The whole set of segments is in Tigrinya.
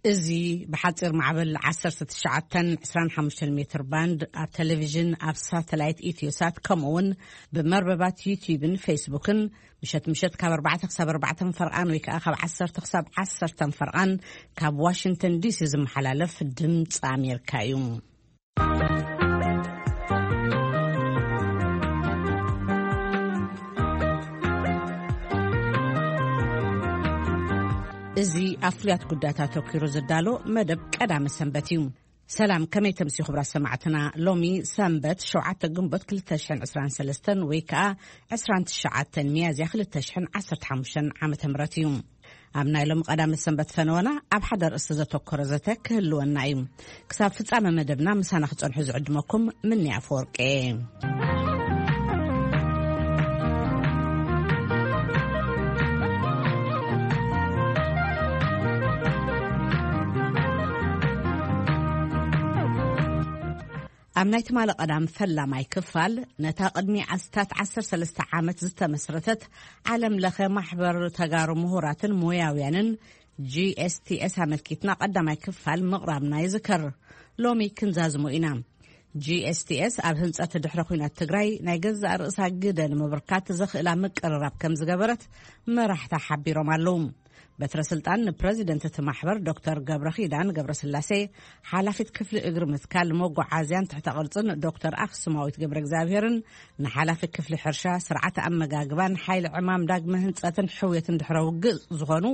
እዚ ብሓጺር ማዕበል ዓሰርተ ትሽዓተ ዕስራን ሓሙሽተን ሜትር ባንድ ኣብ ቴሌቪዥን፣ ኣብ ሳተላይት ኢትዮሳት፣ ከምኡ እውን ብመርበባት ዩቲዩብን ፌስቡክን ምሸት ምሸት ካብ ኣርባዕተ ክሳብ ኣርባዕተ ፈርቓን ወይ ከዓ ካብ ዓሰርተ ክሳብ ዓሰርተ ፈርቓን ካብ ዋሽንግተን ዲሲ ዝመሓላለፍ ድምፂ ኣሜሪካ እዩ። እዚ ኣብ ፍሉያት ጉዳያት ኣተኲሩ ዝዳሎ መደብ ቀዳመ ሰንበት እዩ። ሰላም፣ ከመይ ተምስዩ ክቡራት ሰማዕትና? ሎሚ ሰንበት ሸውዓተ ግንቦት ክልተ ሽሕን ዕስራን ሰለስተን ወይ ከኣ ዕስራን ትሽዓተን ሚያዝያ ክልተ ሽሕን ዓሰርተ ሓሙሽተን ዓመተ ምህረት እዩ። ኣብ ናይ ሎሚ ቀዳመ ሰንበት ፈነወና ኣብ ሓደ ርእሲ ዘተኮረ ዘተ ክህልወና እዩ። ክሳብ ፍጻመ መደብና ምሳና ክጸንሑ ዝዕድመኩም ምኒ ኣፈወርቂ። ኣብ ናይ ትማሊ ቀዳም ፈላማይ ክፋል፣ ነታ ቅድሚ ኣስታት ዓሰርተ ሰለስተ ዓመት ዝተመስረተት ዓለም ለኸ ማሕበር ተጋሩ ምሁራትን ሞያውያንን፣ ጂ ኤስ ቲ ኤስ፣ ኣመልኪትና ቀዳማይ ክፋል ምቕራብና ይዝከር። ሎሚ ክንዛዝሞ ኢና። ጂ ኤስ ቲ ኤስ ኣብ ህንጸት ድሕረ ኲናት ትግራይ ናይ ገዛእ ርእሳ ግደ ንምብርካት ዘኽእላ ምቅርራብ ከም ዝገበረት መራሕታ ሓቢሮም ኣለዉ። በትረ ስልጣን ንፕረዚደንት እቲ ማሕበር ዶክተር ገብረ ኪዳን ገብረ ስላሴ፣ ሓላፊት ክፍሊ እግሪ ምትካል መጓዓዝያን ትሕተ ቅርጽን ዶክተር ኣኽሱማዊት ገብረ እግዚኣብሔርን፣ ንሓላፊ ክፍሊ ሕርሻ፣ ስርዓተ ኣመጋግባን ሓይሊ ዕማም ዳግመ ህንጸትን ሕውየትን ድሕረ ውግእ ዝኾኑ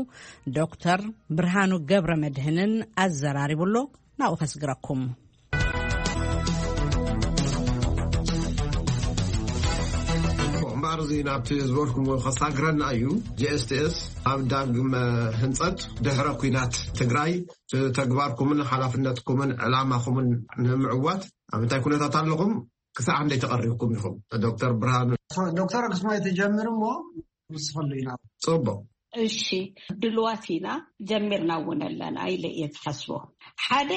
ዶክተር ብርሃኑ ገብረ መድህንን ኣዘራሪቡ ኣሎ። ናብኡ ከስግረኩም። እምበኣር፣ እዚ ናብቲ ዝበልኩም ከሳግረና እዩ። ጂ ኤስ ቲ ኤስ ኣብ ዳግመ ህንጸት ድሕረ ኲናት ትግራይ፣ ተግባርኩምን ሓላፍነትኩምን ዕላማኹምን ንምዕዋት ኣብ እንታይ ኩነታት ኣለኹም? ክሳዕ ክንደይ ተቐሪብኩም ኢኹም? ዶክተር ብርሃኑ። ዶክተር ኣክሱማይ ትጀምር እሞ ንስኸሉ ኢና። ጽቡቕ። እሺ፣ ድልዋት ኢና፣ ጀሚርና እውን ኣለና ኢለ እየ ዝሓስቦ። ሓደ፣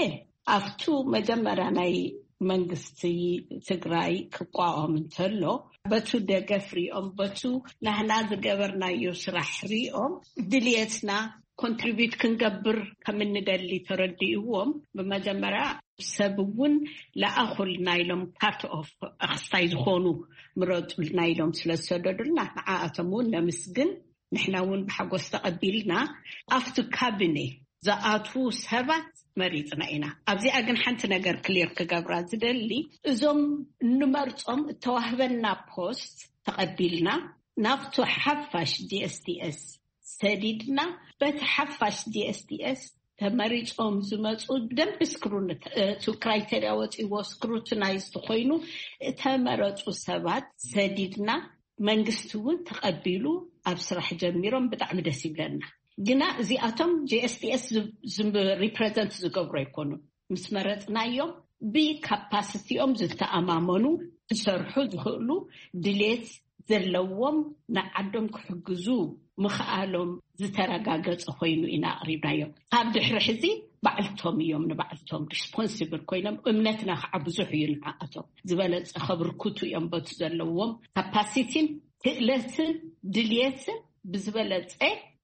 ኣብቱ መጀመርያ ናይ መንግስቲ ትግራይ ክቋቋም እንተሎ፣ በቱ ደገፍ ሪኦም፣ በቱ ናህና ዝገበርናዮ ስራሕ ሪኦም፣ ድልየትና ኮንትሪቢዩት ክንገብር ከም እንደሊ ተረዲእዎም፣ ብመጀመርያ ሰብ እውን ለኣኹልና ኢሎም፣ ፓርት ኦፍ ኣኽስታይ ዝኾኑ ምረጡልና ኢሎም ስለ ዝሰደዱልና፣ ንዓኣቶም እውን ነምስግን። ንሕና እውን ብሓጎስ ተቐቢልና፣ ኣብቲ ካቢኔ ዝኣትዉ ሰባት መሪጽና ኢና። ኣብዚኣ ግን ሓንቲ ነገር ክሊር ክገብራ ዝደሊ፣ እዞም እንመርጾም እተዋህበና ፖስት ተቐቢልና፣ ናብቱ ሓፋሽ ጂ ኤስ ቲ ኤስ ሰዲድና፣ በቲ ሓፋሽ ጂ ኤስ ቲ ኤስ ተመሪጾም ዝመጹ፣ ብደንብ ስክሩን-፣ እቲ ክራይቴርያ ወጺዎ ስክሩቲናይዝ ኮይኑ እተመረጹ ሰባት ሰዲድና፣ መንግስቲ እውን ተቐቢሉ ኣብ ስራሕ ጀሚሮም፣ ብጣዕሚ ደስ ይብለና። ግና እዚኣቶም ጂ ኤስ ቲ ኤስ ዝ-፣ ዝ-፣ ሪፕሬዘንት ዝገብሩ ኣይኮኑን። ምስ መረጽናዮም፣ ብካፓሲቲኦም ዝተኣማመኑ፣ ክሰርሑ ዝኽእሉ፣ ድሌት ዘለዎም፣ ንዓዶም ክሕግዙ ምኽኣሎም ዝተረጋገጸ ኮይኑ ኢና ኣቕሪብናዮም። ካብ ድሕሪ ሕዚ ባዕልቶም እዮም ንባዕልቶም ሪስፖንሲብል ኮይኖም፣ እምነትና ከዓ ብዙሕ እዩ ንዓኣቶም። ዝበለጸ ከብርክቱ እዮም በቲ ዘለዎም ካፓሲቲን ክእለትን ድልየትን ብዝበለጸ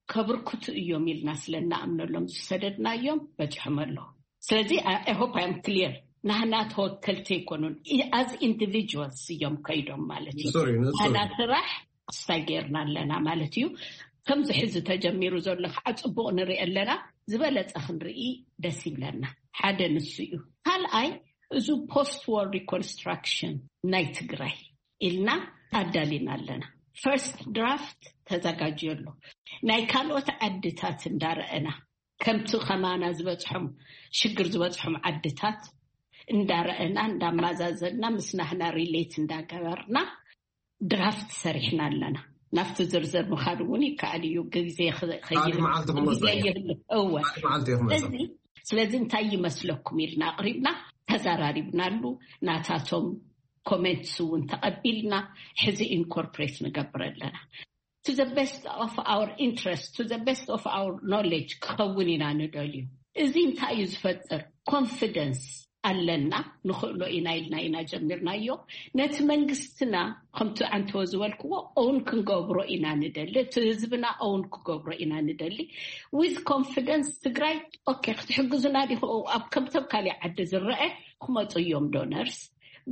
ከብርክቱ እዮም ኢልና ስለ እንኣምነሎም ዝሰደድናዮም በጺሖም ኣለዉ። ስለዚ፣ I hope I am clear። ናህና ተወከልቲ ኣይኮኑን። ኣዝ ኢንዲቪጁዋልስ እዮም ከይዶም ማለት እዩ። ንጹር እዩ፣ ንጹር ናህና እዩ። ስራሕ ክስታይ ጌርና ኣለና ማለት እዩ። ከምዚ ሕዚ ተጀሚሩ ዘሎ ከዓ ጽቡቕ ንርኢ ኣለና። ዝበለጸ ክንርኢ ደስ ይብለና። ሓደ ንሱ እዩ። ካልኣይ፣ እዚ ፖስት ዋር ሪኮንስትራክሽን ናይ ትግራይ ኢልና ኣዳሊና ኣለና። ፈርስት ድራፍት ተዘጋጅዮ ኣሎ። ናይ ካልኦት ዓድታት እንዳረኣና፣ ከምቲ ከማና ዝበጽሖም ሽግር ዝበጽሖም ዓድታት እንዳረኣና፣ እንዳማዛዘልና፣ ምስ ናህና ሪሌት እንዳገበርና ድራፍት ሰሪሕና ኣለና። ናብቲ ዝርዝር ምኻድ እውን ይከኣል እዩ፣ ግዜ ኸ-፣ ኸይህል-፣ ካልእ መዓልቲ ክመጽእ ግዜ እዩ። ይህልፍ። እወ። ካልእ መዓልቲ እዩ ክመጽእ። ስለዚ፣ ስለዚ እንታይ ይመስለኩም ኢልና ኣቕሪብና፣ ተዘራሪብናሉ፣ ናታቶም ኮሜንትስ እውን ተቐቢልና፣ ሕዚ ኢንኮርፖሬት ንገብር ኣለና። To the best of our interest, to the best of our knowledge ክኸውን ኢና ንደልዩ። እዚ እንታይ እዩ ዝፈጥር? ኮንፊደንስ። ኣለና፣ ንኽእሎ ኢና ኢልና ኢና ጀሚርናዮ። ነቲ መንግስትና ከምቲ ኣንተወ ዝበልክዎ እውን ክንገብሮ ኢና ንደሊ፣ እቲ ህዝብና እውን ክገብሮ ኢና ንደሊ። ዊዝ ኮንፊደንስ ትግራይ ኦኬ ክትሕግዙና ዲኹ? ኣብ ከምቶም ካሊእ ዓዲ ዝረአ ክመፁ እዮም ዶነርስ።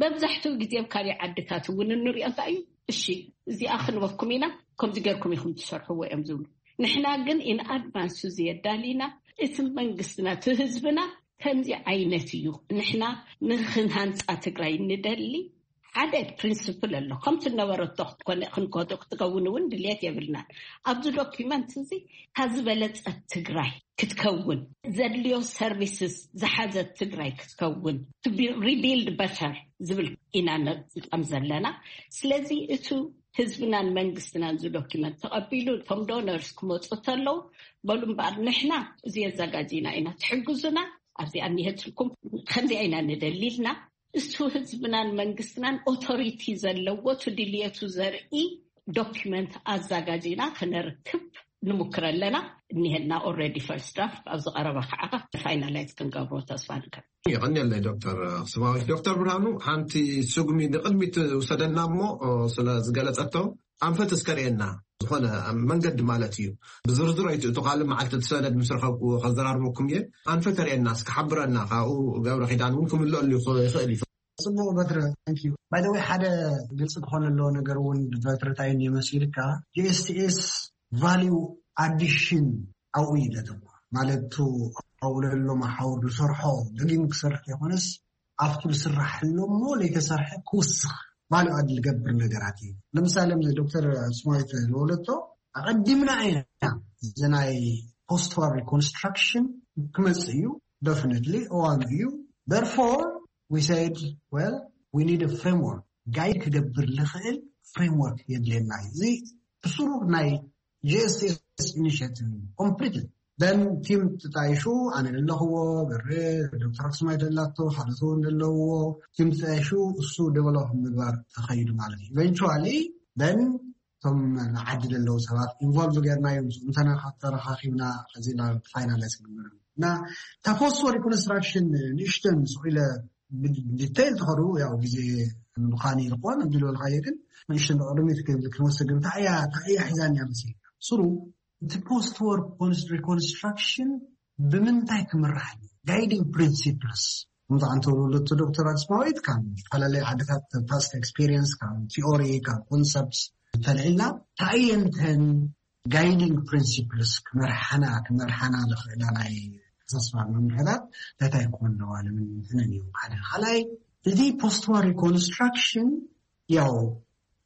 መብዛሕትኡ ግዜ ኣብ ካሊእ ዓድታት እውን እንሪኦ እንታይ እዩ፣ እሺ እዚኣ ክንበኩም ኢና፣ ከምዚ ገርኩም ኢኹም ትሰርሕዎ እዮም ዝብሉ። ንሕና ግን ኢን ኣድቫንስ እዚ የዳሊና፣ እቲ መንግስትና እቲ ህዝብና ከምዚ ዓይነት እዩ። ንሕና ንክንሃንፃ ትግራይ ንደሊ ሓደ ፕሪንስፕል ኣሎ። ከምቲ ነበረቶ ክትኮነ ክንከቶ ክትከውን እውን ድልየት የብልናን። ኣብዚ ዶኪመንት እዚ ካብ ዝበለፀት ትግራይ ክትከውን፣ ዘድልዮ ሰርቪስስ ዝሓዘት ትግራይ ክትከውን፣ ሪቢልድ በተር ዝብል ኢና ነጥቀም ዘለና። ስለዚ እቱ ህዝብናን መንግስትናን እዚ ዶኪመንት ተቐቢሉ እቶም ዶነርስ ክመፁ ተለዉ በሉ እምበኣር ንሕና እዚ የዘጋጅና ኢና፣ ትሕግዙና፣ ኣብዚኣ እኒሀትልኩም፣ ከምዚኣ ኢና ንደሊልና እሱ ህዝብናን መንግስትናን ኦቶሪቲ ዘለዎ ትድልየቱ ዘርኢ ዶኪመንት ኣዘጋጅና ክነርክብ ንምክር ኣለና። እኒሀና ኦልሬዲ ፈርስት ድራፍት፣ ኣብዚ ቀረባ ከዓ ፋይናላይዝ ክንገብሮ ተስፋ ንገብር። ይቐንየለይ ዶክተር ኣኽሱማዊት። ዶክተር ብርሃኑ፣ ሓንቲ ስጉሚ ንቕድሚት ውሰደና እሞ ስለ ዝገለጸቶ ኣንፈት እስከ ርእየና፣ ዝኾነ መንገዲ ማለት እዩ። ብዝርዝር ኣይትእቱ፣ ካልእ መዓልቲ እቲ ሰነድ ምስ ረኸብኩዎ ከዘራርበኩም እየ። ኣንፈት ርእየና እስከ ሓብረና፣ ካብኡ ገብረ ኪዳን እውን ክምልአሉ ይኽእል እዩ። ጽቡቕ በትረ፣ thank you። ባይ ዘ ወይ ሓደ ግልፂ ክኾን ኣለዎ ነገር እውን በትረ እንታይ እዩ መሲልካ፣ ጂ ኤስ ቲ ኤስ ቫሊዩ ኣዲሽን ኣብኡ እዩ ለተኮ፣ ማለት ኣብኡ ለሎ መሓውር ዝሰርሖ ደጊም ክሰርሕ ይኾነስ ኣብቱ ዝስራሕሎ እሞ ለይተሰርሐ ክውስኽ ቫሊዩ ኣድ ዝገብር ነገራት እዩ። ለምሳሌ ዶክተር ስማዊት ዝበለቶ ኣቐዲምና ኢና፣ እዚ ናይ ፖስት ዋር ሪኮንስትራክሽን ክመፅእ እዩ፣ ደፍነትሊ እዋኑ እዩ። Therefore we said, well, we need a framework, ጋይድ ክገብር ልኽእል ፍሬምወርክ የድልየና እዩ። እዚ ብስሩ ናይ ጂ ኤስ ቲ ኤስ ኢኒሽቲቭ ኮምፕሊትሊ። ደን ቲም ተጣይሹ፣ ኣነ ዘለኽዎ፣ በሬ፣ ዶክተር ኣክሱማይ ደላቶ፣ ካልኦት እውን ዘለውዎ ቲም ተጣይሹ እሱ ዴቨሎፕ ምግባር ተኸይዱ ማለት እዩ። ኢቨንቹዋሊ ደን እቶም ንዓዲ ዘለዉ ሰባት ኢንቮልቭ ጌርና እዮም። ምስ እንተና ተረኻኺብና እዚ ናብ ፋይናላይዝ ክንገብር እና እታ ፖስት ሪኮንስትራክሽን ንእሽተን ስኢለ ዲቴይል ተኸዱ ያው ግዜ ምዃን ይልቆን እንዲሎ ልካየ ግን ንእሽተን ቅድሚት ክንወስድ ግን ታያ ታያ ሒዛን እያ መሲል ስሩ እቲ ፖስት ወርክ ሪኮንስትራክሽን ብምንታይ ክምራሕ እዩ? ጋይዲንግ ፕሪንሲፕልስ ከምዚ ኣንተ ወለቶ ዶክተር ኣስማዊት ካብ ዝተፈላለዩ ዓድታት ፓስት ኤክስፒሪየንስ ካብ ቲኦሪ ካብ ኮንሰፕት እንተልዕልና እንታይ እየንተን ጋይዲንግ ፕሪንሲፕልስ ክመርሓና ክመርሓና ዝኽእላ ናይ ተስፋ መምርሕታት እንታይ ክኾን ኣለዋ ንምንትነን እዩ ሓደ ካልኣይ እዚ ፖስት ዋር ሪኮንስትራክሽን ያው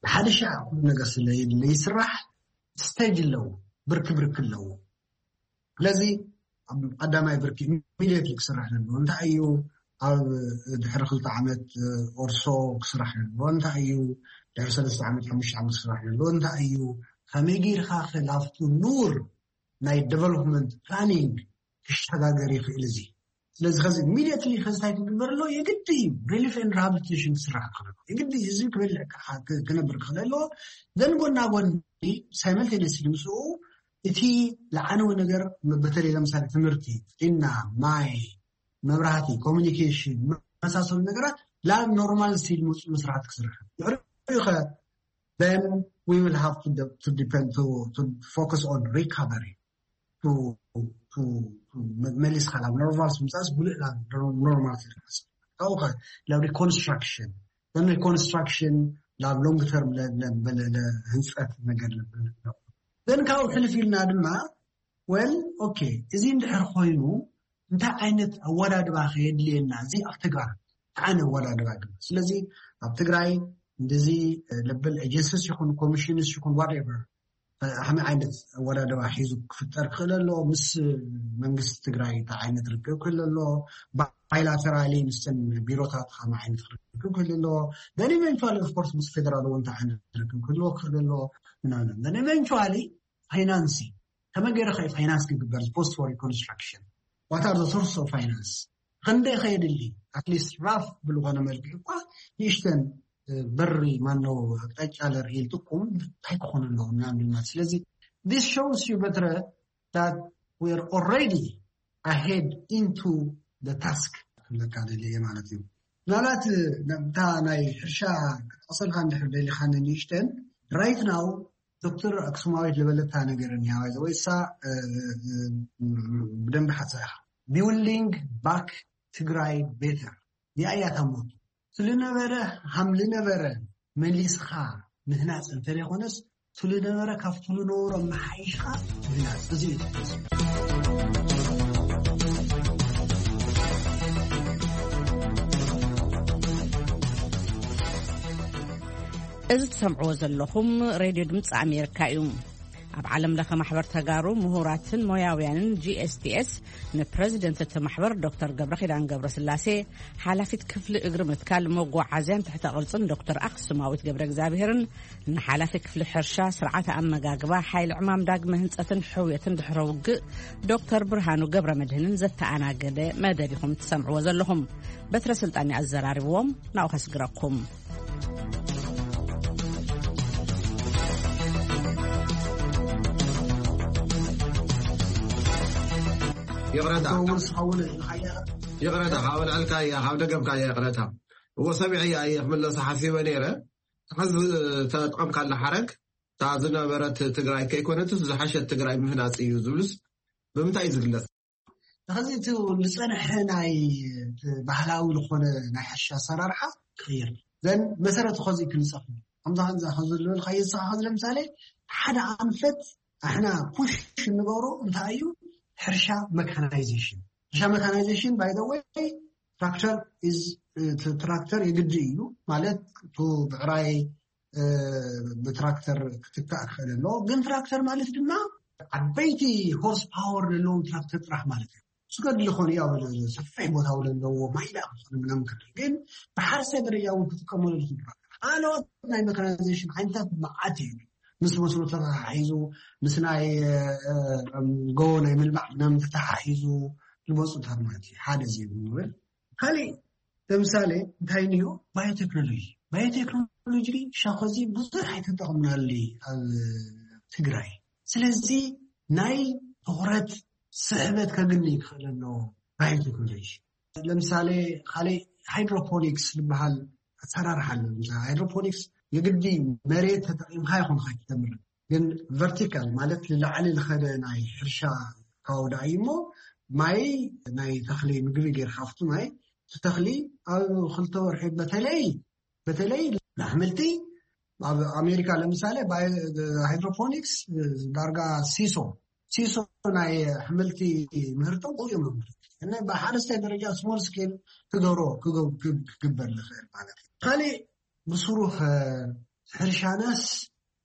ሓደ ሻዕ ኩሉ ነገር ስለ ይስራሕ ስቴጅ ኣለዎ ብርክ ብርክ ኣለዎ ስለዚ ኣብ ቀዳማይ ብርኪ ኢሚድየትሊ ክስራሕ ዘለዎ እንታይ እዩ ኣብ ድሕሪ ክልተ ዓመት ኦርሶ ክስራሕ ዘለዎ እንታይ እዩ ድሕሪ ሰለስተ ዓመት ሓሙሽተ ዓመት ክስራሕ ዘለዎ እንታይ እዩ ከመይ ጌርካ ክላፍቱ ኑር ናይ ዴቨሎፕመንት ፕላኒንግ ክሸጋገር ይኽእል እዚ ስለዚ ከዚ ኢሚድየትሊ ከዚ እንታይ ክግበር ኣለዎ የግዲ እዩ ሪሊፍ ኤንድ ሪሃብሊቴሽን ክስራሕ ክኽእል ኣለዎ የግዲ ህዝቢ ክበልዕ ክነብር ክኽእል ኣለዎ ዘን ጎና ጎኒ ሳይመልቴኒየስሊ ምስኡ እቲ ለዓነዊ ነገር በተለይ ለምሳሌ ትምህርቲ ጥዕና ማይ መብራህቲ ኮሚኒኬሽን መሳሰሉ ነገራት ላብ ኖርማል ስቴጅ መፁ መስራት ክስራሕ ድሕሪኡ ከ then we will have to, de- to depend to, to focus on recovery to, to, to መሊስካ ናብ ኖርማል ምምፃእስ ብሉእ ናብ ኖርማል ካብኡ ከ ናብ ሪኮንስትራክሽን then ሪኮንስትራክሽን ናብ ሎንግ ተርም ህንፀት ነገር then ካብኡ ሕልፍ ኢልና ድማ well okay እዚ እንድሕር ኮይኑ እንታይ ዓይነት ኣወዳድባ ከየድልየና እዚ ኣብ ተግባር ዓነ ኣወዳድባ ድማ ስለዚ ኣብ ትግራይ እንደዚ ለበል ኤጀንሲስ ይኹን ኮሚሽንስ ይኹን ዋትኤቨር ከመይ ዓይነት ኣወዳድባ ሒዙ ክፍጠር ክኽእል ኣሎ ምስ መንግስቲ ትግራይ እንታይ ዓይነት ርክብ ክህል ኣሎ ባይላተራሊ ምስተን ቢሮታት ከመይ ዓይነት ርክብ ክህል ኣሎ then eventually of course ምስ ፌደራል እውን እንታይ ዓይነት ርክብ ክህልዎ ክኽእል ኣሎ ምናምን then eventually ፋይናንሲ ከመይ ገይረ ከ ፋይናንስ ክግበር ፖስት ፎር ኮንስትራክሽን what are the source of finance ክንደይ ከየድሊ ኣትሊስት ራፍ ብዝኾነ መልክዕ እኳ ንእሽተን በሪ ማነው ኣቅጣጫ ለርኢ ልጥቁም እንታይ ክኾኑ ኣለዎ ምናምን ማለት ስለዚ this shows you በትረ that we are already ahead into the task ለካ ደልየ ማለት እዩ። ምናልባት እታ ናይ ሕርሻ ክትጠቕሰልካ እንድሕር ደሊኻ ንንእሽተን፣ right now ዶክተር ኣክሱማዊት ዝበለታ ነገር እኒሃ ወይ እሳ ብደንብ ሓሳ ኢኻ። Building back ትግራይ better እያ እያ ታሞቱ። ስልነበረ ሃም ልነበረ መሊስኻ ምህናፅ እንተደይኮነስ፣ ስልነበረ ካብቲ ልነበሮ መሓይሽኻ ምህናፅ እዚ እዩ። እዚ ትሰምዕዎ ዘለኹም ሬድዮ ድምፂ ኣሜሪካ እዩ። ኣብ ዓለም ለኸ ማሕበር ተጋሩ ምሁራትን ሞያውያንን ጂ ኤስ ቲ ኤስ ንፕረዚደንት እቲ ማሕበር ዶክተር ገብረ ኪዳን ገብረ ስላሴ፣ ሓላፊት ክፍሊ እግሪ ምትካል መጓዓዝያን ትሕተ ቅርፅን ዶክተር ኣክሱማዊት ገብረ እግዚኣብሔርን ንሓላፊ ክፍሊ ሕርሻ፣ ስርዓተ ኣመጋግባ፣ ሓይሊ ዕማም ዳግመ ህንፀትን ሕውየትን ድሕረ ውግእ ዶክተር ብርሃኑ ገብረ መድህንን ዘተኣናገደ መደብ ኢኹም ትሰምዕዎ ዘለኹም። በትረ ስልጣን ኣዘራርብዎም ናብኡ ከስግረኩም። ይቕረታ ከምኡ ዝኸውን ይቕረታ ካብ ልዕልካ እያ ካብ ደገብካ እያ ይቕረታ። እዎ ሰሚዐ እያ እየ ክምለሶ ሓሲበ ነይረ። ሕዚ ተጠቐምካላ ሓረግ እታ ዝነበረት ትግራይ ከይኮነትስ ዝሓሸት ትግራይ ምህናፅ እዩ ዝብሉስ ብምንታይ እዩ ዝግለፅ? ሕዚ እቲ ዝፀንሐ ናይ ባህላዊ ዝኾነ ናይ ሕርሻ ኣሰራርሓ ክቕየር ዘን መሰረት ኸዚ ክንፀፍ ከምዛ ከምዛ ከዘለልካ የስኻ ለምሳሌ ሓደ ኣንፈት ኣሕና ፑሽ እንገብሮ እንታይ እዩ? ሕርሻ መካናይዜሽን። ሕርሻ መካናይዜሽን ባይደወይ ትራክተር ትራክተር የግዲ እዩ ማለት ብዕራይ ብትራክተር ክትካእ ክኽእል ኣለዎ። ግን ትራክተር ማለት ድማ ዓበይቲ ሆርስ ፓወር ዘለዎም ትራክተር ጥራሕ ማለት እዩ። ስገድሊ ኾኑ ያው ሰፊሕ ቦታ ለለዎ ማይዳ ክኾኑ ምናምን ክእል ግን ብሓርሰ ደረጃ እውን ክጥቀመሉ ዝኽእል ካልኦት ናይ መካናይዜሽን ዓይነታት መዓት እዩ። ምስ መስኖ ተተሓሒዙ ምስ ናይ ጎቦ ናይ ምልማዕ ምናምን ተተሓሒዙ ዝመፁታት ማለት እዩ። ሓደ እዚ ንብል ካሊእ ለምሳሌ እንታይ እንዮ ባዮቴክኖሎጂ ባዮቴክኖሎጂ ሻኸዚ ብዙሕ ኣይተጠቕምናሉ ኣብ ትግራይ። ስለዚ ናይ ትኹረት ስሕበት ከግኒ ይክእል ኣሎ። ባዮቴክኖሎጂ ለምሳሌ ካሊእ ሃይድሮፖኒክስ ዝበሃል ኣሰራርሓ ኣሎ። ሃይድሮፖኒክስ የግዲ መሬት ተጠቂምካ ይኹን ካይትተምር ግን ቨርቲካል ማለት ንላዕሊ ዝኸደ ናይ ሕርሻ ካውዳ እዩ እሞ ማይ ናይ ተኽሊ ምግቢ ጌርካ ኣብቲ ማይ እቲ ተኽሊ ኣብ ክልተ ወርሒ በተለይ በተለይ ንኣሕምልቲ ኣብ ኣሜሪካ ለምሳሌ ሃይድሮፖኒክስ ዳርጋ ሲሶ ሲሶ ናይ ኣሕምልቲ ምህርቶም ብኡ እዮም ብሓረስታይ ደረጃ ስሞል ስኬል ክገብሮ ክግበር ዝኽእል ማለት እዩ። ካሊእ ብስሩ ሕርሻናስ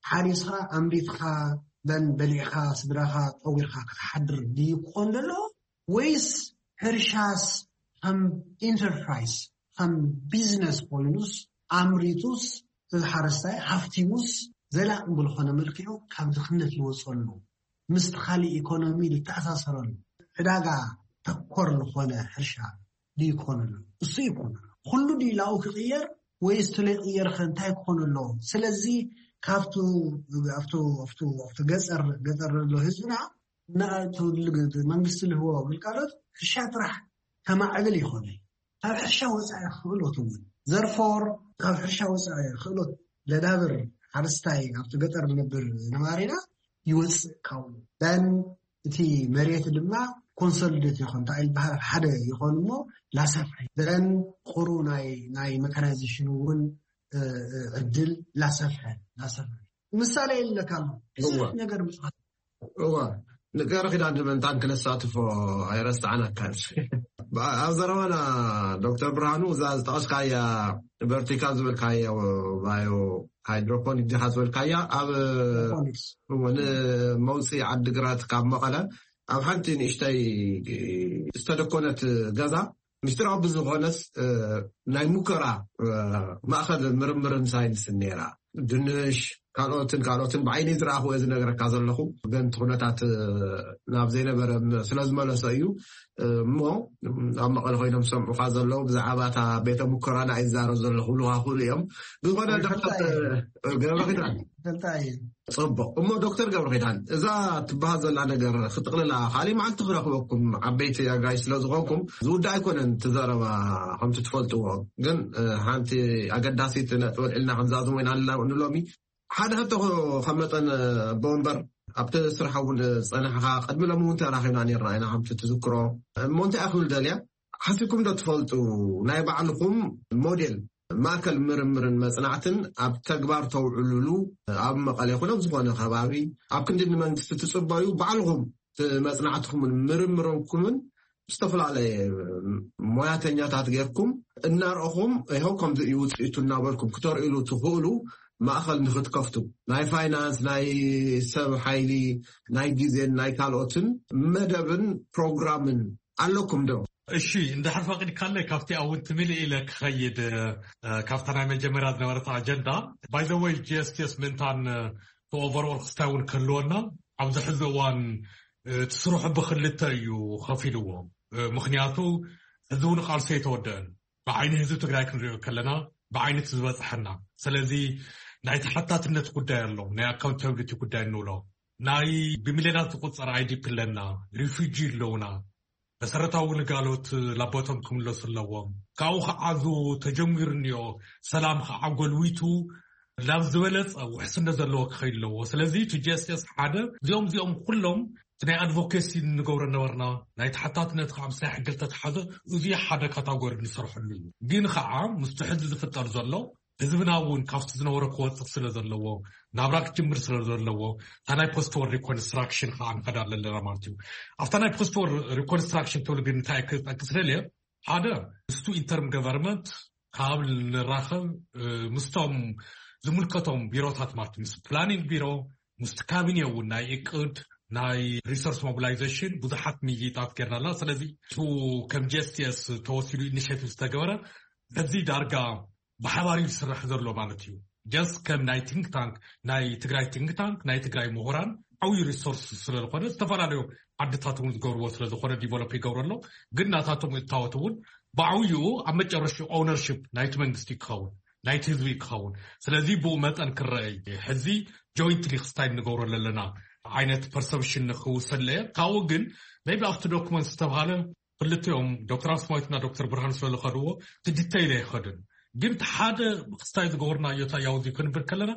ሓሪስኻ ኣምሪትካ በን በሊዕካ ስድራኻ ጠዊርካ ክትሓድር ድዩ ክኾን ዘሎ ወይስ ሕርሻስ ከም ኢንተርፕራይዝ ከም ቢዝነስ ኮይኑስ ኣምሪቱስ እዚ ሓረስታይ ሃፍቲሙስ ዘላቂ ብዝኾነ መልክዑ ካብ ድኽነት ዝወፀሉ ምስቲ ካሊእ ኢኮኖሚ ዝተኣሳሰረሉ ዕዳጋ ተኮር ዝኾነ ሕርሻ ድዩ ክኾን ኣሎ? እሱ ይኮን ኩሉ ድዩ ላኡ ክቕየር ወይ ስትሎ ይቕየር ከ እንታይ ክኾን ኣሎ? ስለዚ ካብቱ ኣብቱ ኣብቱ ኣብቱ ገፀር ገፀር ዘሎ ህዝብና መንግስቲ ልህቦ ግልጋሎት ሕርሻ ጥራሕ ከማዕብል ይኾነ ካብ ሕርሻ ወፃኢ ክእሎት እውን ዘርፎር ካብ ሕርሻ ወፃኢ ክእሎት ለዳብር ሓረስታይ ኣብቲ ገጠር ዝነብር ነባሪና ይወፅእ ካብኡ ን እቲ መሬት ድማ ኮንሶሊዴት ይኾን እንታይ ዝበሃል ሓደ ይኾን እሞ ላሰፍሐ ዘን ቁሩ ናይ ናይ መካናይዜሽን እውን ዕድል ላሰፍሐ ላሰፍሐ ምሳሌ ይለካ ኣሎ ብዙሕ ነገር ምፅፋት እዋ ንገረ ኪዳን ድመንታን ክነሳትፎ ኣይረስዓናካን ኣብ ዘረባና ዶክተር ብርሃኑ እዛ ዝጠቐስካያ ቨርቲካል ዝበልካዮ ባዮ ሃይድሮፖኒክ ዲኻ ዝበልካያ ኣብ ንመውፅኢ ዓድግራት ካብ መቐለ ኣብ ሓንቲ ንእሽተይ ዝተደኮነት ገዛ ምስጢራዊ ብዝኾነስ ናይ ሙከራ ማእኸል ምርምርን ሳይንስን ነይራ ድንሽ ካልኦትን ካልኦትን ብዓይነይ ዝረኣኹ እየ ዝነግረካ ዘለኹ። ግን እቲ ኩነታት ናብ ዘይነበረ ስለ ዝመለሰ እዩ። እሞ ኣብ መቐለ ኮይኖም ዝሰምዑኻ ዘለዉ ብዛዕባ እታ ቤተ ሙከራና እዩ ዝዛረብ ዘለኹ ልሃ ክእሉ እዮም። ዝኾነ ዶክተር ገብረ ኪዳን ጽቡቕ። እሞ ዶክተር ገብረ ኪዳን፣ እዛ ትበሃል ዘላ ነገር ክጥቕልላ ካልእ መዓልቲ ክረኽበኩም፣ ዓበይቲ ኣጋይ ስለ ዝኾንኩም ዝውዳእ ኣይኮነን እቲ ዘረባ። ከምቲ ትፈልጥዎ ግን ሓንቲ ኣገዳሲት ነጥቢ ኣልዒልና ክንዛዝም ወይና ኣለና ንሎሚ። ሓደ ሕቶ ከመጠን ኣቦ ወንበር፣ ኣብቲ ስራሕ እውን ዝጸናሕኻ፣ ቅድሚ ሎሚ እውን ተራኺብና ነርና ኢና ከምቲ ትዝክሮ። እሞ እንታይ ኣኽብል ደልያ ሓሲብኩም ዶ ትፈልጡ? ናይ ባዕልኹም ሞዴል ማእከል ምርምርን መጽናዕትን ኣብ ተግባር ተውዕሉሉ፣ ኣብ መቐለ ይኹን ኣብ ዝኾነ ከባቢ ኣብ ክንዲ ንመንግስቲ ትጽበዩ፣ ባዕልኹም እቲ መጽናዕትኩምን ምርምርኩምን ዝተፈላለየ ሞያተኛታት ጌርኩም እናርኣኹም፣ ይኸው ከምዚ እዩ ውፅኢቱ እናበልኩም ክተርእሉ ትኽእሉ ማእኸል ንክትከፍቱ፣ ናይ ፋይናንስ፣ ናይ ሰብ ሓይሊ፣ ናይ ግዜን ናይ ካልኦትን መደብን ፕሮግራምን ኣለኩም ዶ? እሺ፣ እንድሕር ፈቒድካለይ ካብቲ ኣውን ትምልእ ኢለ ክኸይድ፣ እ፣ ካብታ ናይ መጀመርያ ዝነበረት ኣጀንዳ። By the way, ጂ ኤስ ቲ ኤስ ምእንታን፣ እ፣ ኦቨርኦል ክስታይ እውን ክህልወና ኣብዚ ሕዚ እዋን፣ እ፣ እቲ ስርሑ ብክልተ እዩ ከፊልዎ። እ፣ ምኽንያቱ ሕዚ እውን ቃልሲ ኣይተወደአን። ብዓይኒ ህዝቢ ትግራይ ክንሪኦ ከለና ብዓይኒ እቲ ዝበፅሐና። ስለዚ ናይ ተሓታትነት ጉዳይ ኣሎ፣ ናይ ኣካውንታብሊቲ ጉዳይ እንብሎ። ናይ ብሚልዮናት ዝቁፀር ኣይ ዲ ፒ ኣለና፣ ሪፊጂ ኣለውና። መሰረታዊ ግልጋሎት ላቦቶም ክምለሱ ኣለዎም። ካብኡ ከዓ እዚ ተጀሚሩ እኒኦ ሰላም ከዓ ጎልዊቱ ናብ ዝበለፀ ውሕስነት ዘለዎ ክኸይድ ኣለዎ። ስለዚ እቲ ጂ ኤስ ቲ ኤስ ሓደ እዚኦም እዚኦም ኩሎም እቲ ናይ ኣድቮኬሲ እንገብሮ ነበርና፣ ናይ ተሓታትነት ከዓ ምስ ናይ ሕጊ ዝተተሓዘ እዚ ሓደ ካታጎሪ ንሰርሐሉ እዩ። ግን ከዓ ምስቲ ሕዚ ዝፍጠር ዘሎ ህዝብና እውን ካብቲ ዝነበረ ክወፅእ ስለ ዘለዎ ናብራ ክጅምር ስለ ዘለዎ እታ ናይ ፖስት ወር ሪኮንስትራክሽን ከዓ ንኸዳ ኣለና ማለት እዩ። ኣብታ ናይ ፖስት ወር ሪኮንስትራክሽን ትብል ግን እንታይ ክጠቅስ ደልየ ሓደ ምስቱ ኢንተርም ገቨርንመንት ካብ ንራኸብ፣ እ፣ ምስቶም ዝምልከቶም ቢሮታት ማለት ምስ ፕላኒንግ ቢሮ፣ ምስቲ ካቢኔ እውን ናይ እቅድ ናይ ሪሶርስ ሞቢላይዜሽን ብዙሓት ምይይጣት ጌርና ኣለና። ስለዚ እቲ ከም ጂ ኤስ ቲ ኤስ ተወሲዱ ኢኒሽቲቭ ዝተገበረ በዚ ዳርጋ ብሓባር እዩ ዝስራሕ ዘሎ ማለት እዩ። ጀስት ከም ናይ ቲንክ ታንክ ናይ ትግራይ ቲንክ ታንክ ናይ ትግራይ ምሁራን ዓብዩ ሪሶርስ ስለዝኾነ ዝተፈላለዩ ዓድታት እውን ዝገብርዎ ስለዝኾነ ዲቨሎፕ ይገብሩ ኣሎ። ግን ናታቶም እታወት እውን ብዓብይኡ ኣብ መጨረሽኡ ኦውነርሽፕ ናይቲ መንግስቲ ክኸውን ናይቲ ህዝቢ ክኸውን። ስለዚ ብኡ መጠን ክረአ እዩ። ሕዚ ጆይንትሊ ክስታይ ንገብሮ ዘለና ዓይነት ፐርሰፕሽን ንክውሰለ ካብኡ ግን ቢ ኣብቲ ዶክመንት ዝተባሃለ ክልቲኦም ዶክተር ኣስማዊትና ዶክተር ብርሃን ስለዝኸድዎ እቲ ዲተይል ኣይኸድን። ግን እቲ ሓደ ክስታይ ዝገበርናዮ ታያውዚ ክንብል ከለና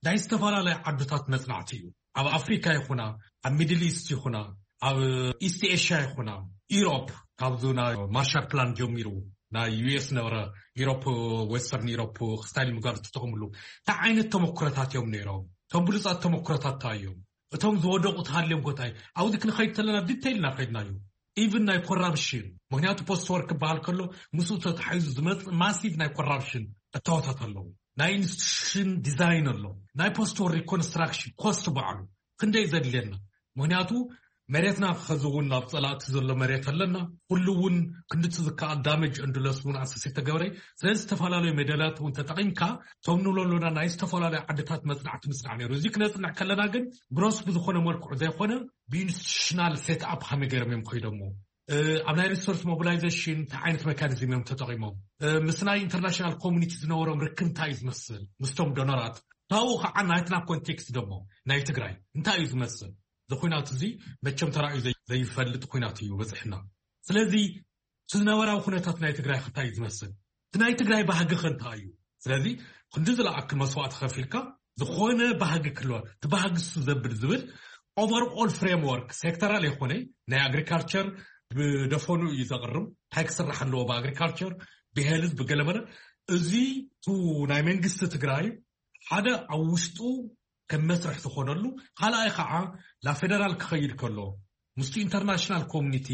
ናይ ዝተፈላለያ ዓድታት መፅናዕቲ እዩ። ኣብ ኣፍሪካ ይኹና ኣብ ሚድል ኢስት ይኹና ኣብ ኢስት ኤሽያ ይኹና ኢሮፕ ካብዚ ናይ ማርሻል ፕላን ጀሚሩ ናይ ዩ ኤስ ነበረ ኢሮፕ ዌስተርን ኢሮፕ ክስታይ ንምጋር ዝተጠቕምሉ እንታይ ዓይነት ተመኩረታት እዮም ነይሮም? እቶም ብሉፃት ተመኩረታት እንታይ እዮም? እቶም ዝወደቑ ተሃልዮም ኮታይ ኣብዚ ክንኸይድ ከለና ዲተይል ኢና ከይድናዮ። ኢቭን ናይ ኮራፕሽን ምክንያቱ ፖስት ወርክ ክበሃል ከሎ ምስኡ ተታሒዙ ዝመፅእ ማሲቭ ናይ ኮራፕሽን እታወታት ኣለዉ። ናይ ኢንስቲቱሽን ዲዛይን ኣሎ። ናይ ፖስት ወር ሪኮንስትራክሽን ኮስት ባዕሉ ክንደይ ዘድልየና? ምክንያቱ መሬትና ከዚ እውን ናብ ፀላእቲ ዘሎ መሬት ኣለና። ኩሉ እውን ክንድቲ ዝከኣል ዳመጅ እንድለስ እውን ኣሰስ ተገበረ። ስለዚ ዝተፈላለዩ ሜዳላት እውን ተጠቂምካ እቶም ንብሎ ኣለና ናይ ዝተፈላለዩ ዓድታት መፅናዕቲ ምስናዕ ነይሩ። እዚ ክነፅንዕ ከለና ግን ግሮስ ብዝኾነ መልክዑ ዘይኮነ ብኢንስቲቱሽናል ሴት ኣፕ ከመይ ገይሮም እዮም ከይዶሞ፣ ኣብ ናይ ሪሶርስ ሞቢላይዜሽን እንታይ ዓይነት ሜካኒዝም እዮም ተጠቂሞም፣ ምስ ናይ ኢንተርናሽናል ኮሚኒቲ ዝነበሮም ርክብ እንታይ እዩ ዝመስል ምስቶም ዶነራት፣ ካብኡ ከዓ ናይትና ኮንቴክስት ደሞ ናይ ትግራይ እንታይ እዩ ዝመስል። እዚ ኩናት እዚ መቸም ተራእዩ ዘይ- ዘይፈልጥ ኩናት እዩ በፅሕና። ስለዚ እቲ ነባራዊ ኩነታት ናይ ትግራይ እንታይ እዩ ዝመስል፣ እቲ ናይ ትግራይ ባህጊ ከ እንታይ እዩ? ስለዚ ክንዲ ዝለኣክ መስዋእቲ ከፊልካ ዝኾነ ባህጊ ክህልወ እቲ ባህጊ እሱ ዘብል ዝብል ኦቨርኦል ፍሬምወርክ ሴክተራል የኮነ ናይ ኣግሪካልቸር ብደፈኑ እዩ ዘቕርብ እንታይ ክስራሕ ኣለዎ ብኣግሪካልቸር ብሄልዝ ብገለመለ። እዚ ቱ ናይ መንግስቲ ትግራይ ሓደ ኣብ ውሽጡ ከም መስርሕ ዝኾነሉ፣ ካልኣይ ከዓ ናብ ፌደራል ክኸይድ ከሎ ምስቲ ኢንተርናሽናል ኮሚኒቲ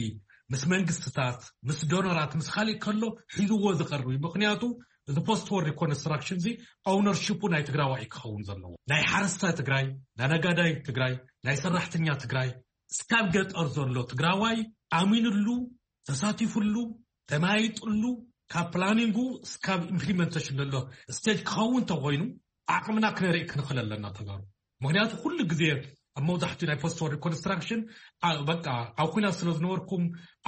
ምስ መንግስትታት ምስ ዶነራት ምስ ካሊእ ከሎ ሒዝዎ ዝቐርብ እዩ። ምክንያቱ እዚ ፖስት ወር ሪኮንስትራክሽን እዚ ኦውነርሽፑ ናይ ትግራዋይ ክኸውን ዘለዎ ናይ ሓረስታይ ትግራይ ናይ ነጋዳይ ትግራይ ናይ ሰራሕተኛ ትግራይ እስካብ ገጠር ዘሎ ትግራዋይ ኣሚንሉ ተሳቲፉሉ ተማይጥሉ ካብ ፕላኒንጉ እስካብ ኢምፕሊመንቴሽን ዘሎ ስቴጅ ክኸውን ተኮይኑ ዓቕምና ክነርኢ ክንኽእል ኣለና ተጋሩ። ምክንያቱ ኩሉ ግዜ ኣብ መብዛሕትኡ ናይ ፖስት ዎር ሪኮንስትራክሽን በቃ ኣብ ኩናት ስለ ዝነበርኩም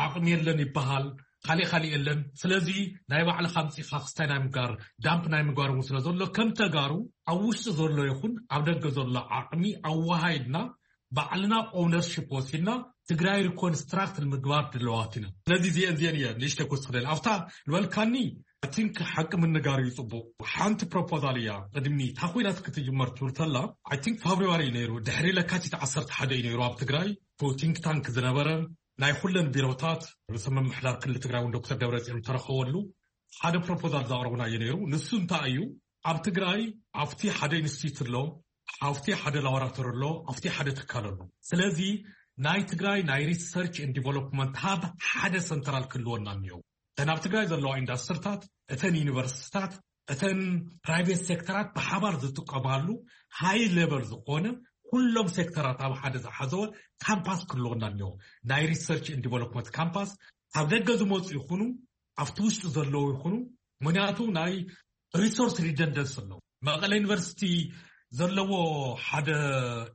ዓቕሚ የለን ይበሃል፣ ካሊእ ካሊእ የለን። ስለዚ ናይ ባዕልካ ኣምፂእካ ክስታይ ናይ ምግባር፣ ዳምፕ ናይ ምግባር እውን ስለ ዘሎ ከም ተጋሩ ኣብ ውሽጢ ዘሎ ይኹን ኣብ ደገ ዘሎ ዓቕሚ ኣወሃይድና ባዕልና ኦውነርሺፕ ወሲድና ትግራይ ሪኮንስትራክት ንምግባር ድለዋት ኢና። ስለዚ እዚአን እዚአን እየ ንእሽተይ ክወስኽ ደል ኣብታ ዝበልካኒ። I think ሓቂ ምንጋር እዩ ጽቡቅ። ሓንቲ ፕሮፖዛል እያ ቅድሚ እታ ኩናት ክትጅመር ትብል ተላ። I think ፋብሪዋሪ እዩ ነይሩ፣ ድሕሪ ለካቲት ዓሰርተ ሓደ እዩ ነይሩ ኣብ ትግራይ። ቲንክ ታንክ ዝነበረ ናይ ኩለን ቢሮታት ርእሰ ምምሕዳር ክልል ትግራይ እውን ዶክተር ደብረጽዮን ተረኸበሉ ሓደ ፕሮፖዛል ዘቕረቡና እዩ ነይሩ። ንሱ እንታይ እዩ? ኣብ ትግራይ ኣብቲ ሓደ ኢንስቲትዩት ኣሎ፣ ኣብቲ ሓደ ላቦራቶሪ ኣሎ፣ ኣብቲ ሓደ ትካል ኣሎ። ስለዚ ናይ ትግራይ ናይ ሪሰርች ን ዲቨሎፕመንት ሃብ ሓደ ሰንትራል ክህልወና እኒኦ። እተን ኣብ ትግራይ ዘለዋ ኢንዳስትሪታት፣ እተን ዩኒቨርሲቲታት፣ እተን ፕራይቬት ሴክተራት ብሓባር ዝጥቀማሉ ሃይ ሌቨል ዝኾነ ኩሎም ሴክተራት ኣብ ሓደ ዝሓዘወ ካምፓስ ክህልወና እኒኦ። ናይ ሪሰርች ን ዲቨሎፕመንት ካምፓስ ካብ ደገ ዝመፁ ይኹኑ ኣብቲ ውሽጢ ዘለዉ ይኹኑ። ምክንያቱ ናይ ሪሶርስ ሪደንደንስ ኣለዎ። መቐለ ዩኒቨርሲቲ ዘለዎ ሓደ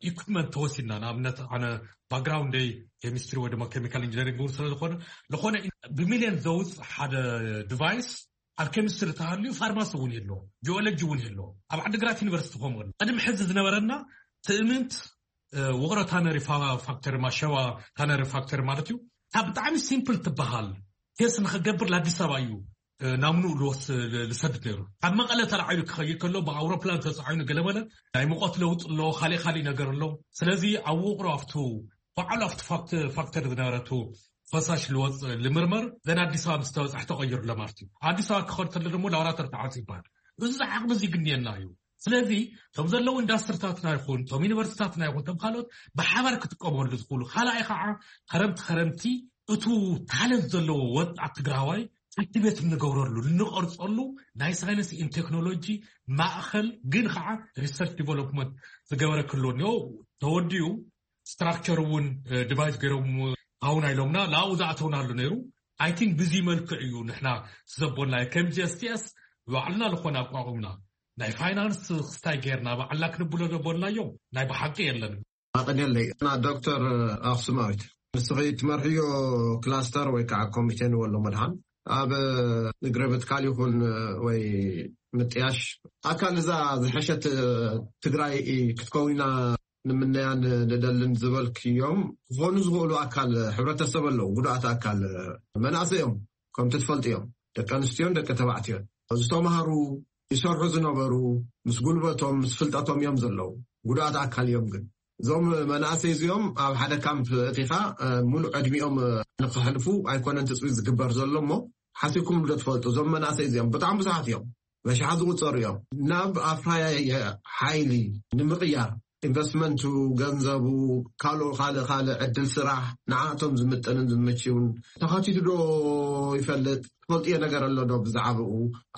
ኢኩፕመንት ተወሲድና፣ ንኣብነት ኣነ ባክግራውንደይ ኬሚስትሪ ወይ ድማ ኬሚካል ኢንጂነሪንግ እውን ስለዝኾነ ዝኾነ ብሚልዮን ዘውፅእ ሓደ ዲቫይስ ኣብ ኬሚስትሪ ተሃልዩ ፋርማሲ እውን የለዎ፣ ጂኦሎጂ እውን የለዎ። ኣብ ዓዲግራት ዩኒቨርሲቲ ከምኡ ኣሎ። ቅድሚ ሕዚ ዝነበረና ትእምንት ውቕሮ ታነሪ ፋክተሪ ማሸዋ ታነሪ ፋክተሪ ማለት እዩ። ካብ ብጣዕሚ ሲምፕል ትበሃል ቴስት ንክገብር ለኣዲስ ኣበባ እዩ ናምንኡ ልወስ ልሰድድ ነይሩ። ካብ መቐለ ተላዓሉ ክኸይድ ከሎ ብኣውሮፕላን ተፃዒኑ ገለመለ ናይ ሙቐት ለውጥ ኣሎ፣ ካሊእ ካሊእ ነገር ኣሎ። ስለዚ ኣብ ውቕሮ ኣብቱ ባዕሉ ኣብቲ ፋክተሪ ዝነበረቱ ፈሳሽ ልወፅ ልምርመር ዘን ኣዲስ ኣበባ ምስ ተበፃሕ ተቐይሩ ለማለት እዩ። ኣዲስ ኣበባ ክኸድ ተሎ ደግሞ ላቦራቶሪ ተዓፂ ይበሃል። እዚ ዓቕሚ እዚ ግንየና እዩ። ስለዚ እቶም ዘለዉ ኢንዳስትሪታትና ይኹን እቶም ዩኒቨርሲቲታትና ይኹን እቶም ካልኦት ብሓባር ክጥቀመሉ ዝኽእሉ፣ ካልኣይ ከዓ ከረምቲ ከረምቲ እቱ ታለንት ዘለዎ ወጣት ትግራዋይ ኣክቲቬት እንገብረሉ እንቐርፀሉ ናይ ሳይንስ ን ቴክኖሎጂ ማእኸል ግን ከዓ ሪሰርች ዲቨሎፕመንት ዝገበረ ክህልዎ እኒኦ። ተወዲኡ ስትራክቸር እውን ዲቫይስ ገይሮም ኣውና ኢሎምና ላኡ ዝኣተውናሉ ነይሩ። I think ብዚ መልክዕ እዩ ንሕና ዘቦናዮ ከም ጂ ኤስ ቲ ኤስ ባዕልና ዝኾነ ኣቋቑምና ናይ ፋይናንስ ክስታይ ጌርና ባዕልና ክንብሎ ዘቦናዮም ናይ ብሓቂ የለን። ኣቐንየለይ ና ዶክተር ኣኽሱማዊት፣ ንስኺ ትመርሕዮ ክላስተር ወይ ከዓ ኮሚቴ ንበሎ መድሃን ኣብ ንግረ ምትካል ይኹን ወይ ምጥያሽ ኣካል እዛ ዝሐሸት ትግራይ ክትከውና ንምነያን ንደልን ዝበልክዮም ክኾኑ ዝኽእሉ ኣካል ሕብረተሰብ ኣለዉ። ጉዱኣት ኣካል መናእሰይ እዮም፣ ከምቲ ትፈልጥዮም ደቂ ኣንስትዮን ደቂ ተባዕትዮን ዝተምሃሩ ይሰርሑ ዝነበሩ ምስ ጉልበቶም ምስ ፍልጠቶም እዮም ዘለዉ። ጉዱኣት ኣካል እዮም ግን እዞም መናእሰይ እዚኦም ኣብ ሓደ ካምፕ እቲኻ ሙሉእ ዕድሚኦም ንክሕልፉ ኣይኮነን ትፅቢት ዝግበር ዘሎ እሞ ሓሲብኩም ዶ ትፈልጡ? እዞም መናእሰይ እዚኦም ብጣዕሚ ብዙሓት እዮም፣ በሽሓት ዝቁፀሩ እዮም። ናብ ኣፍራያይ ሓይሊ ንምቕያር ኢንቨስትመንቱ፣ ገንዘቡ፣ ካልኦ ካልእ ካልእ ዕድል ስራሕ ንዓእቶም ዝምጥንን ዝምችውን ተኸቲቱ ዶ ይፈልጥ? ትፈልጥዮ ነገር ኣሎ ዶ ብዛዕባኡ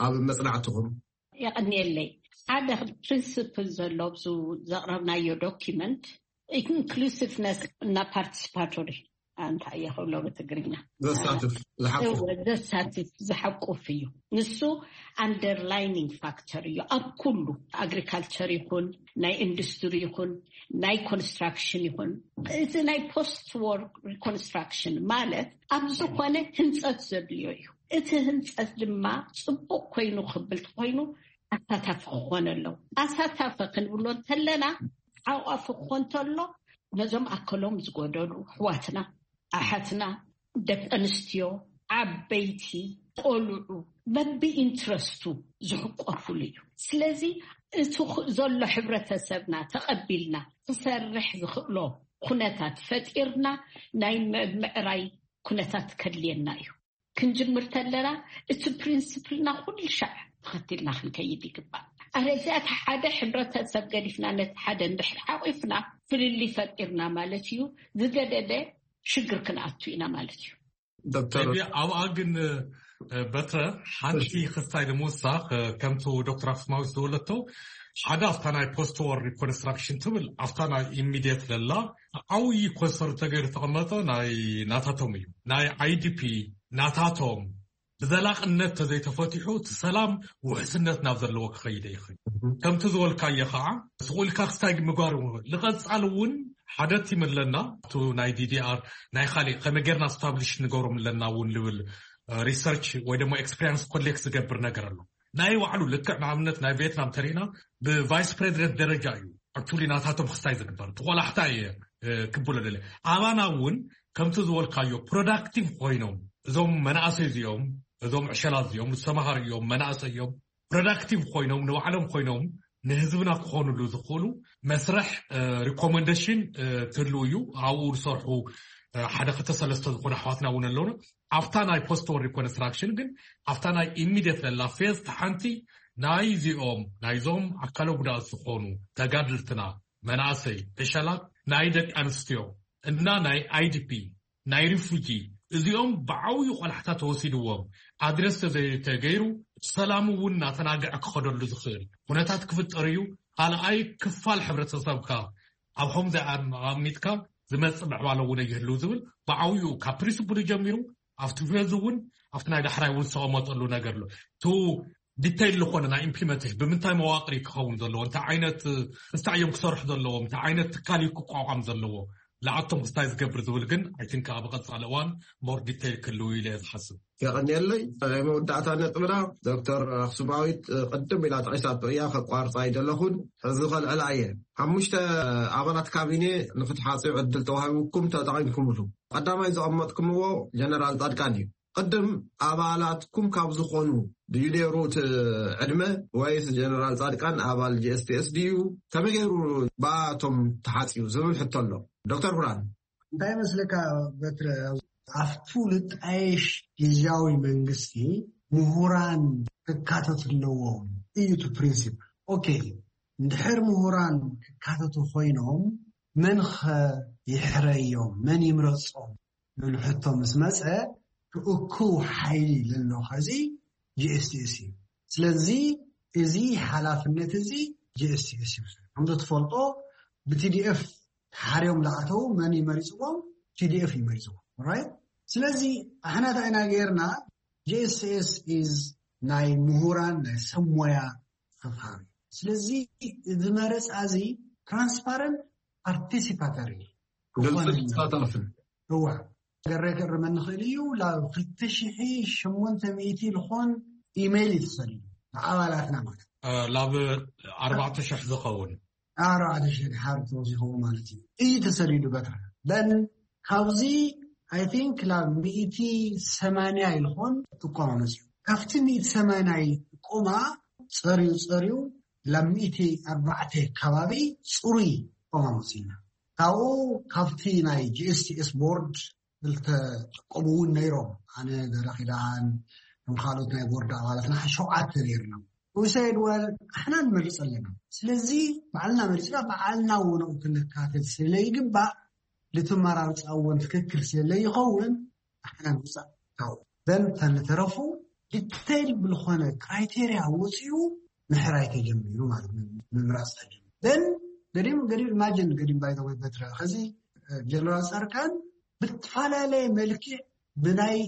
ኣብ መፅናዕትኹም? የቐንየለይ። ሓደ ፕሪንስፕል ዘሎ ኣብዚ ዘቕረብናዮ ዶኪመንት ኢንክሉሲቭነስ እና ፓርቲስፓቶሪ እንታይ እየ ክብሎ ብትግርኛ ዘሳትፍ ዝሓቁፍ እወ ዘሳትፍ ዝሓቁፍ እዩ። ንሱ ኣንደርላይኒንግ ፋክተር እዩ ኣብ ኩሉ ኣግሪካልቸር ይኹን ናይ ኢንዱስትሪ ይኹን ናይ ኮንስትራክሽን ይኹን እዚ ናይ ፖስት ዎር ሪኮንስትራክሽን ማለት ኣብ ዝኾነ ህንፀት ዘድልዮ እዩ። እቲ ህንፀት ድማ ፅቡቕ ኮይኑ ክብል ተኮይኑ ኣሳታፊ ክኾን ኣለዎ። ኣሳታፊ ክንብሎ እንተለና ሓቋፊ ክኾን እንተሎ ነዞም ኣከሎም ዝጎደሉ ኣሕዋትና ኣሓትና ደቂ ኣንስትዮ ዓበይቲ ቆልዑ በቢ ኢንትረስቱ ዝሕቆፉሉ እዩ። ስለዚ እቲ ዘሎ ሕብረተሰብና ተቐቢልና ክሰርሕ ዝኽእሎ ኩነታት ፈጢርና ናይ ምዕራይ ኩነታት ከድልየና እዩ። ክንጅምር ተለና እቲ ፕሪንስፕልና ኩሉ ሻዕ ተኸቲልና ክንከይድ ይግባእ። ኣለዚኣ እቲ ሓደ ሕብረተሰብ ገዲፍና ነቲ ሓደ እንድሕር ሓቂፍና ፍልልይ ፈጢርና ማለት እዩ። ዝገደደ ሽግር ክንኣቱ ኢና ማለት እዩ። ዶክተር ኣብኣ ግን በትረ ሓንቲ ክስታይ ንምውሳኽ ከምቲ ዶክተር ኣክስማዊት ዝበለቶ ሓደ ኣብታ ናይ ፖስት ዎር ሪኮንስትራክሽን ትብል ኣብታ ናይ ኢሚድየት ለላ ዓብዪ ኮንሰርን ተገይሩ ተቐመጠ ናይ ናታቶም እዩ ናይ ኣይዲፒ ናታቶም ብዘላቕነት ተዘይተፈቲሑ እቲ ሰላም ውሕስነት ናብ ዘለዎ ክኸይደ ይኽእል። ከምቲ ዝበልካዮ ከዓ ስቕ ኢልካ ክስታይ ምግባር እውን ንቐፃል እውን ሓደ ቲም ኣለና። እቲ ናይ ዲዲኣር ናይ ካሊእ ከመይ ጌርና ስታብሊሽ ንገብሮም ኣለና እውን ልብል ሪሰርች ወይ ደግሞ ኤክስፔሪንስ ኮሌክት ዝገብር ነገር ኣሎ። ናይ ባዕሉ ልክዕ ንኣብነት ናይ ቪየትናም ተሪእና ብቫይስ ፕሬዚደንት ደረጃ እዩ ኣክቹሊ ናታቶም ክስታይ ዝግበር። ተቆላሕታ እየ ክብሎ ደለ ኣባና እውን ከምቲ ዝበልካዮ ፕሮዳክቲቭ ኮይኖም እዞም መናእሰይ እዚኦም እዞም ዕሸላት እዚኦም ዝተማሃሩ እዮም መናእሰይ እዮም ፕሮዳክቲቭ ኮይኖም ንባዕሎም ኮይኖም ንህዝብና ክኾኑሉ ዝኽእሉ መስርሕ ሪኮመንደሽን ትህልው እዩ። ኣብኡ ዝሰርሑ ሓደ ክልተ ሰለስተ ዝኾኑ ኣሕዋትና እውን ኣለውና። ኣብታ ናይ ፖስት ወር ሪኮንስትራክሽን ግን ኣብታ ናይ ኢሚዲየት ዘላ ፌዝ ተሓንቲ ናይዚኦም ናይዞም ኣካለ ጉዳት ዝኾኑ ተጋድልትና መናእሰይ ዕሸላት ናይ ደቂ ኣንስትዮ እና ናይ ኣይዲፒ ናይ ሪፉጂ እዚኦም ብዓብዩ ቆላሕታ ተወሲድዎም ኣድረስ ተዘይተገይሩ ሰላሙ እውን እናተናግዐ ክኸደሉ ዝኽእል ኩነታት ክፍጠር እዩ። ካልኣይ ክፋል ሕብረተሰብካ ኣብ ከምዚ ኣሚጥካ ዝመፅእ ምዕባለ እውን ይህልው ዝብል ብዓብዩ ካብ ፕሪንስፕሉ ጀሚሩ ኣብቲ ፌዝ እውን ኣብቲ ናይ ዳሕራይ እውን ዝተቐመጠሉ ነገር ኣሎ። ቱ ዲተይል ዝኾነ ናይ ኢምፕሊመንቴሽን ብምንታይ መዋቅር ክኸውን ዘለዎ እንታይ ዓይነት ክስታይ እዮም ክሰርሑ ዘለዎም እንታይ ዓይነት ትካል እዩ ክቋቋም ዘለዎ ንዓቶም ክስታይ ዝገብር ዝብል ግን ኣይ ቲንክ ኣብ ቀፃሊ እዋን ሞር ዲተይል ክህልው ኢለ እየ ዝሓስብ። የቐንየለይ። ናይ መወዳእታ ነጥብና ዶክተር ኣክሱማዊት ቅድም ኢላ ጠቂሳቶ እያ ከቋርፃ ኣይደለኹን። ሕዚ ከልዕላ እየ። ሓሙሽተ ኣባላት ካቢኔ ንክትሓፅዩ ዕድል ተዋሂቡኩም ተጠቂምኩምሉ። ቀዳማይ ዘቐመጥኩምዎ ጀነራል ፃድቃን እዩ። ቅድም ኣባላትኩም ካብ ዝኾኑ ድዩ ነይሩ እቲ ዕድመ ወይስ ጀነራል ፃድቃን ኣባል ጂ ኤስ ቲ ኤስ ድዩ? ከመይ ገይሩ ብኣቶም ተሓፅዩ ዝብል ሕቶ ኣሎ። ዶክተር ብርሃን እንታይ መስለካ በትረ ኣብቱ ልጣየሽ ግዝያዊ መንግስቲ ምሁራን ክካተቱ ኣለዎም እዩ እቲ ፕሪንሲፕ። ኦኬ እንድሕር ምሁራን ክካተቱ ኮይኖም መን ኸ ይሕረዮም መን ይምረፆም ዝብል ሕቶ ምስ መፀ ክእኩብ ሓይሊ ለሎ ኸዚ ጂ ኤስ ቲ ኤስ እዩ። ስለዚ እዚ ሓላፍነት እዚ ጂ ኤስ ቲ ኤስ ይውሰድ። ከምዚ ትፈልጦ ብ ቲ ዲ ኤፍ ተሓርዮም ዝኣተው መን ይመሪፅዎም? ቲ ዲ ኤፍ ይመሪፅዎም። ራይት። ስለዚ ኣሕና እንታይ ኢና ገይርና? ጂ ኤስ ቲ ኤስ ኢዝ ናይ ምሁራን ናይ ሰብ ሞያ ክፍሃር እዩ። ስለዚ እዚ መረፃ እዚ ትራንስፓረንት ፓርቲሲፓተሪ ግልፅን ተሳታፍን እዋ ገረ ክእርመኒ ይኽእል እዩ። ላብ ክልተ ሽሕ ሸሞንተ ሚእቲ ዝኾን ኢሜይል እዩ ተሰዲዱ ንኣባላትና ማለት ላብ ኣርባዕተ ሽሕ ዝኸውን ኣርባዕተ ሽሕ ድሓር ተወሲኽዎ ማለት እዩ እዩ ተሰዲዱ በትረ በን ካብዚ ኣይ ቲንክ ላብ ሚእቲ ሰማንያ ይልኾን ጥቆማ መፅዩ ካብቲ ሚእቲ ሰማንያ ጥቆማ ፀርዩ ፀርዩ ላብ ሚእቲ ኣርባዕተ ከባቢ ፅሩይ ጥቆማ መፅዩና ካብኡ ካብቲ ናይ ጂ ኤስ ቲ ኤስ ቦርድ ዝተጠቀሙ እውን ነይሮም። ኣነ ገረኺዳን ከም ካልኦት ናይ ቦርድ ኣባላትና ሸውዓተ ነይርና። We said well ኣሕና ንመርፅ ኣለና። ስለዚ ባዕልና መሪፅና ባዕልና ወነኡ ክንካተት ስለይግባእ ልትመራርፃ እውን ትክክል ስለይኸውን ኣሕና ምውፃእ ካብኡ then ተንተረፉ ዲቴይል ብልኾነ ክራይቴሪያ ወፂኡ ምሕራይ ተጀሚሩ ማለት ምምራፅ ተጀሚሩ then ገዲም ገዲም ኢማጅን ገዲም ባይተወይ በትረ ከዚ ጀነራል ፃርካን ብትፈላለየ መልክዕ ብናይ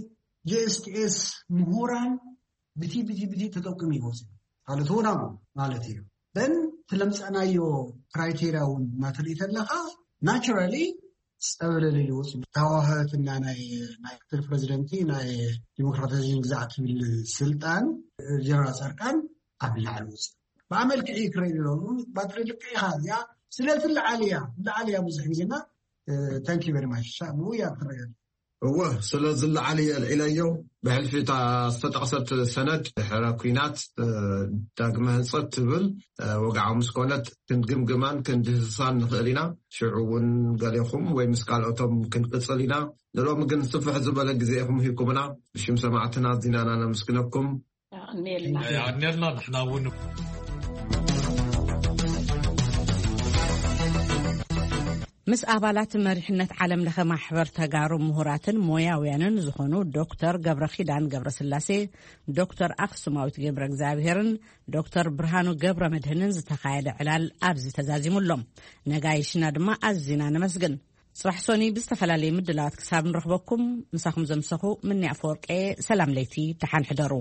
ጂኤስቲኤስ ምሁራን ብቲ ብቲ ብቲ ተጠቅም ይወፅ ማለት ሆናሙ ማለት እዩ then ትለምፀናዮ ክራይቴሪያ እውን እናተርኢ ተለካ ናቹራሊ ፀብለለ ይወፅ ተዋህትና ናይ ናይ ምክትል ፕሬዚደንቲ ናይ ዲሞክራታይዜሽን ግዛዕ ትብል ስልጣን ጀነራል ፃርቃን ኣብ ላዕሊ ውፅእ ብኣ መልክዕ ክረኢ ኣለዎ ባትሪ ልክዕ ኢኻ እዚኣ ስለቲ ላዓሊ እያ ላዓሊ እያ ብዙሕ ግዜና thank you very much ብኡ እያ ትረአ እወ ስለዚ ላዓሊ የልዒለዮ ብሕልፊ እታ ዝተጠቕሰት ሰነድ ድሕረ ኲናት ዳግመ ህንፀት ትብል ወግዓዊ ምስ ኮነት ክንግምግማን ክንድህስሳን ንኽእል ኢና ሽዑ እውን ገሌኹም ወይ ምስ ካልኦቶም ክንቅፅል ኢና ንሎሚ ግን ስፍሕ ዝበለ ግዜ ኢኹም ሂብኩምና ብሽም ሰማዕትና ኣዚና ኢና ነመስግነኩም ኣኔልና ኣኔልና ንሕና እውን ምስ ኣባላት መሪሕነት ዓለም ለኸ ማሕበር ተጋሩ ምሁራትን ሞያውያንን ዝኾኑ ዶክተር ገብረ ኪዳን ገብረ ስላሴ፣ ዶክተር ኣክሱማዊት ገብረ እግዚኣብሄርን ዶክተር ብርሃኑ ገብረ መድህንን ዝተኻየደ ዕላል ኣብዚ ተዛዚሙ ኣሎ። ነጋይሽና ድማ ኣዚና ነመስግን። ጽባሕ ሶኒ ብዝተፈላለየ ምድላዋት ክሳብ ንረኽበኩም ምሳኹም ዘምሰኹ ምንያ ኣፈወርቄ ሰላም ለይቲ ደሓን ሕደሩ።